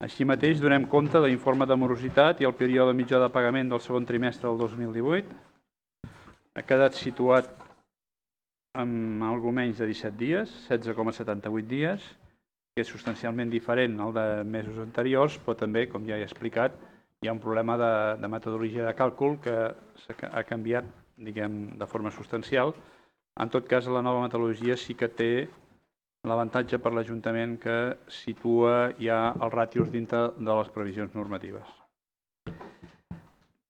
Així mateix, donem compte de l'informe de morositat i el període mitjà de pagament del segon trimestre del 2018. Ha quedat situat amb alguna menys de 17 dies, 16,78 dies, que és substancialment diferent al de mesos anteriors, però també, com ja he explicat, hi ha un problema de metodologia de càlcul que ha canviat, diguem, de forma substancial. En tot cas, la nova metodologia sí que té l'avantatge per l'Ajuntament que situa ja els ràtios dintre de les previsions normatives.